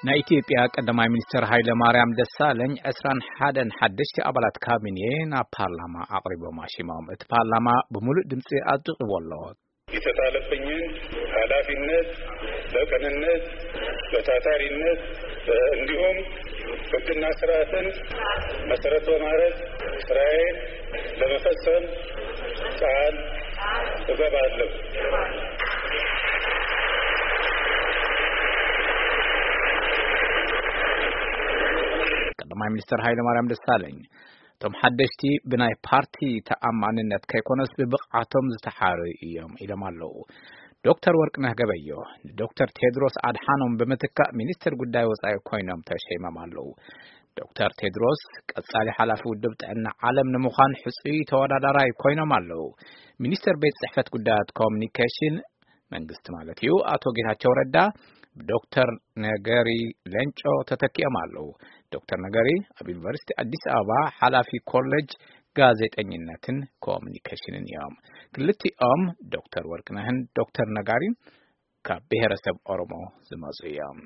ናይ ኢትዮጵያ ቀዳማይ ሚኒስትር ሃይለ ማርያም ደሳለኝ ዕስራን ሓደን ሓደሽቲ ኣባላት ካቢኔ ናብ ፓርላማ ኣቕሪቦም ኣሽሞም። እቲ ፓርላማ ብምሉእ ድምፂ ኣጽዲቕዎ ኣሎ። የተጣለብኝን ኃላፊነት በቅንነት፣ በታታሪነት እንዲሁም ሕግና ስርዓትን መሰረት በማድረግ ስራዬን ለመፈጸም ቃል እገባለሁ። ቀዳማይ ሚኒስትር ሃይለ ማርያም ደሳለኝ እቶም ሓደሽቲ ብናይ ፓርቲ ተኣማንነት ከይኮነስ ብብቕዓቶም ዝተሓረዩ እዮም ኢሎም ኣለዉ። ዶክተር ወርቅነህ ገበዮ ንዶክተር ቴድሮስ ኣድሓኖም ብምትካእ ሚኒስትር ጉዳይ ወጻኢ ኮይኖም ተሸይሞም ኣለዉ። ዶክተር ቴድሮስ ቀጻሊ ሓላፊ ውድብ ጥዕና ዓለም ንምዃን ሕጹይ ተወዳዳራይ ኮይኖም ኣለዉ። ሚኒስትር ቤት ጽሕፈት ጉዳያት ኮሙኒኬሽን መንግስቲ ማለት እዩ፣ ኣቶ ጌታቸው ረዳ ብዶክተር ነገሪ ሌንጮ ተተኪኦም ኣለዉ። ዶክተር ነገሪ ኣብ ዩኒቨርሲቲ ኣዲስ ኣበባ ሓላፊ ኮሌጅ ጋዜጠኝነትን ኮሙኒኬሽንን እዮም። ክልቲኦም ዶክተር ወርቅነህን ዶክተር ነጋሪን ካብ ብሔረሰብ ኦሮሞ ዝመጹ እዮም።